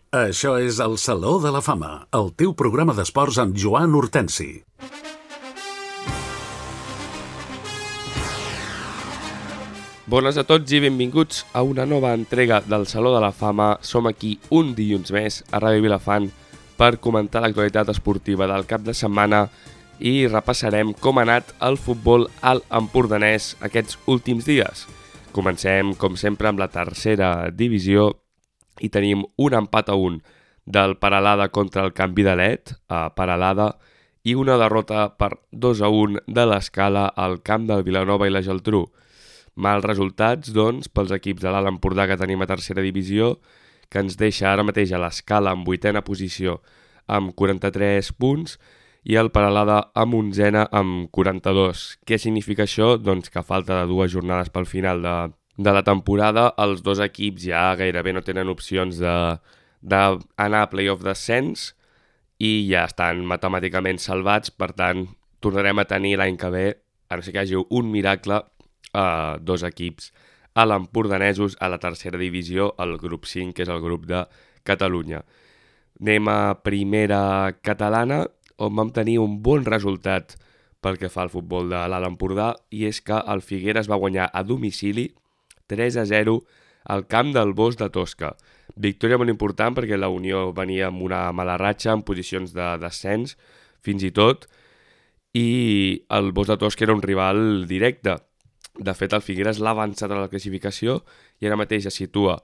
Això és el Saló de la Fama, el teu programa d'esports amb Joan Hortensi. Bones a tots i benvinguts a una nova entrega del Saló de la Fama. Som aquí un dilluns més a Ràdio Vilafant per comentar l'actualitat esportiva del cap de setmana i repassarem com ha anat el futbol alt empordanès aquests últims dies. Comencem, com sempre, amb la tercera divisió i tenim un empat a 1 del Peralada contra el Canvi de Let a Peralada i una derrota per 2-1 de l'Escala al camp del Vilanova i la Geltrú. Mals resultats, doncs, pels equips de l'Alt Empordà que tenim a tercera divisió, que ens deixa ara mateix a l'Escala en 8a posició amb 43 punts i el Peralada amb 11a amb 42. Què significa això? Doncs que a falta de 2 jornades pel final de la temporada, els dos equips ja gairebé no tenen opcions d'anar a play-off d'ascens i ja estan matemàticament salvats. Per tant, tornarem a tenir l'any que ve, a no ser que hi hagi un miracle, dos equips a l'empordanesos a la tercera divisió, el grup 5, que és el grup de Catalunya. Anem a primera catalana, on vam tenir un bon resultat pel que fa al futbol de l'Alt Empordà, i és que el Figueres va guanyar a domicili 3-0 al camp del Bosc de Tosca. Victòria molt important perquè la Unió venia amb una mala ratxa en posicions de descens, fins i tot, i el Bosc de Tosca era un rival directe. De fet, el Figueres l'ha avançat a la classificació i ara mateix es situa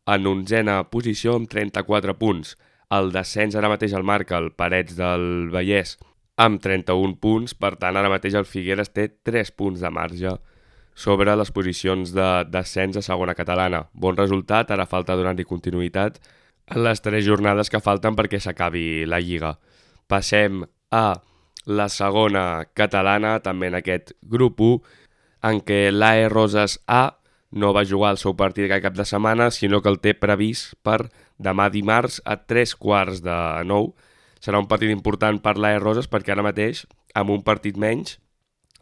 en 11a posició amb 34 punts. El descens ara mateix el marca el Parets del Vallès amb 31 punts, per tant ara mateix el Figueres té 3 punts de marge sobre les posicions de descens a segona catalana. Bon resultat, ara falta donar-hi continuïtat en les 3 jornades que falten perquè s'acabi la Lliga. Passem a la segona catalana, també en aquest grup 1, en què l'AE Roses A no va jugar el seu partit aquest cap de setmana, sinó que el té previst per demà dimarts a 8:45. Serà un partit important per l'AE Roses perquè ara mateix, amb un partit menys,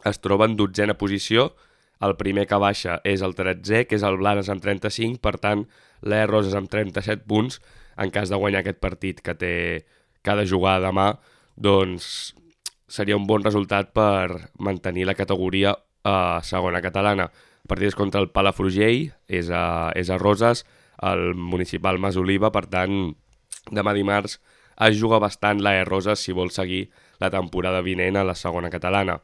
es troba en 12a posició. El primer que baixa és el 13è, que és el Blanes amb 35, per tant, l'AE Roses amb 37 punts, en cas de guanyar aquest partit que ha de jugar demà, doncs seria un bon resultat per mantenir la categoria a segona catalana. El partit és contra el Palafrugell, és a Roses, el municipal Masoliva, per tant, demà dimarts es juga bastant l'AE Roses si vol seguir la temporada vinent a la segona catalana.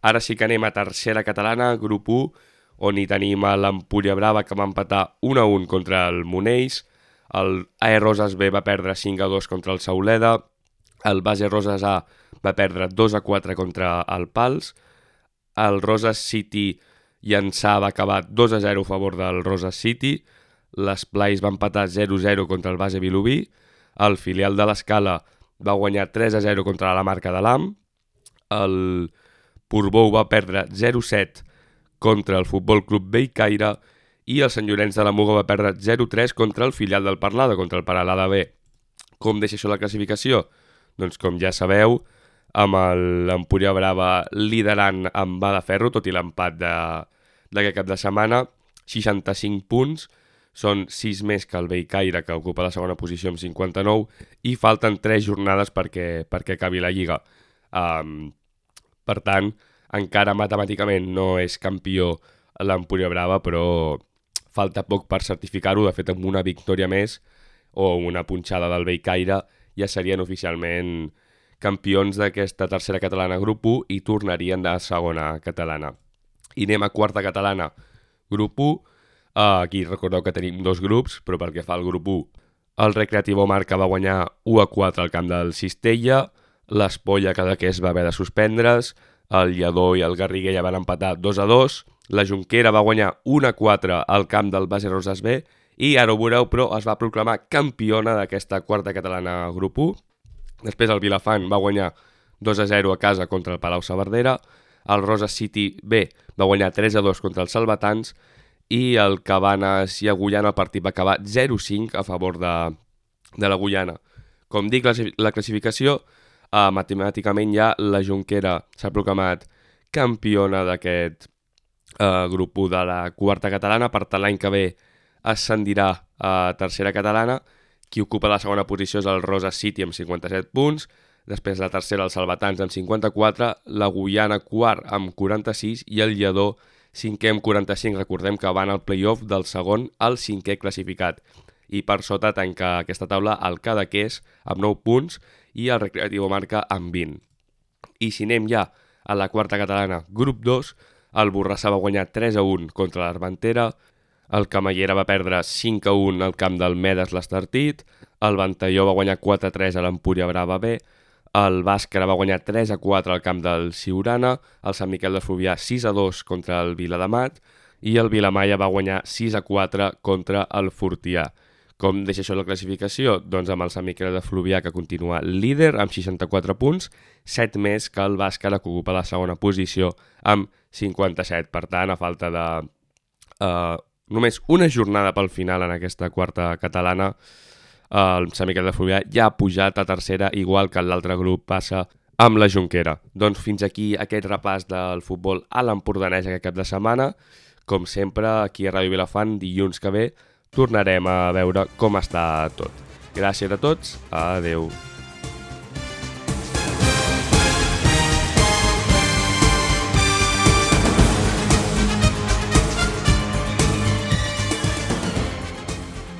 Ara sí que anem a tercera catalana, grup 1, on hi tenim a l'Empúria Brava, que va empatar 1-1 contra el Monells, el AE Roses B va perdre 5-2 contra el Sauleda, el Base Roses A va perdre 2-4 contra el Pals, el Roses City Llançà va acabar 2-0 a favor del Roses City, l'Esplais va empatar 0-0 contra el Base Vilobí, el filial de l'Escala va guanyar 3-0 contra la Marca de l'Am, el Portbou va perdre 0-7 contra el Futbol Club Bellcaire i el Sant Llorenç de la Muga va perdre 0-3 contra el filial del Peralada, contra el Peralada B. Com deixa això la classificació? Doncs com ja sabeu, amb l'Empúria Brava liderant amb mà de ferro, tot i l'empat d'aquest cap de setmana, 65 punts, són 6 més que el Bellcaire, que ocupa la segona posició amb 59, i falten 3 jornades perquè acabi la Lliga. Per tant, encara matemàticament no és campió l'Empúria Brava, però falta poc per certificar-ho. De fet, amb una victòria més o una punxada del Bellcaire ja serien oficialment campions d'aquesta tercera catalana grup 1 i tornarien a segona catalana. I anem a quarta catalana grup 1. Aquí recordeu que tenim 2 grups, però pel que fa al grup 1, el Recreativo Marca va guanyar 1-4 al camp del Cistella, l'Espolla Cadaqués va haver de suspendre's, el Lledó i el Garriguella van empatar 2-2, la Jonquera va guanyar 1-4 al camp del Base Roses B i ara ho veureu, però es va proclamar campiona d'aquesta quarta catalana grup 1. Després el Vilafant va guanyar 2-0 a casa contra el Palau Saverdera, el Roses City B va guanyar 3-2 contra els Salvatans i el Cabanes i Agullana el partit va acabar 0-5 a favor de l'Agullana. Com dic, la classificació, matemàticament ja la Jonquera s'ha proclamat campiona d'aquest grup 1 de la quarta catalana, per tant l'any que ve ascendirà a tercera catalana Qui ocupa la segona posició és el Rosa City amb 57 punts, després la tercera el Salvatans amb 54, la Guyana quart amb 46 i el Lledó cinquè amb 45. Recordem que van al play-off del segon al cinquè classificat. I per sota tanca aquesta taula el Cadaqués amb 9 punts i el Recreativo Marca amb 20. I si anem ja a la quarta catalana, grup 2, el Borrassà va guanyar 3-1 contra l'Armentera, el Camallera va perdre 5-1 al camp del Medes l'Estartit, el Ventalló va guanyar 4-3 a l'Empúria Brava B, el Bàscara va guanyar 3-4 al camp del Siurana, el Sant Miquel de Fluvià 6-2 contra el Viladamat i el Vilamalla va guanyar 6-4 contra el Fortià. Com deixa això la classificació? Doncs amb el Sant Miquel de Fluvià, que continua líder amb 64 punts, 7 més que el Bàscara, que ocupa la segona posició amb 57. Per tant, a falta de només una jornada pel final en aquesta quarta catalana, el Sant Miquel de Fluvià ja ha pujat a tercera, igual que l'altre grup passa amb la Jonquera. Doncs fins aquí aquest repàs del futbol a l'Empordanès aquest cap de setmana. Com sempre, aquí a Ràdio Vilafant, dilluns que ve, tornarem a veure com està tot. Gràcies a tots, adeu.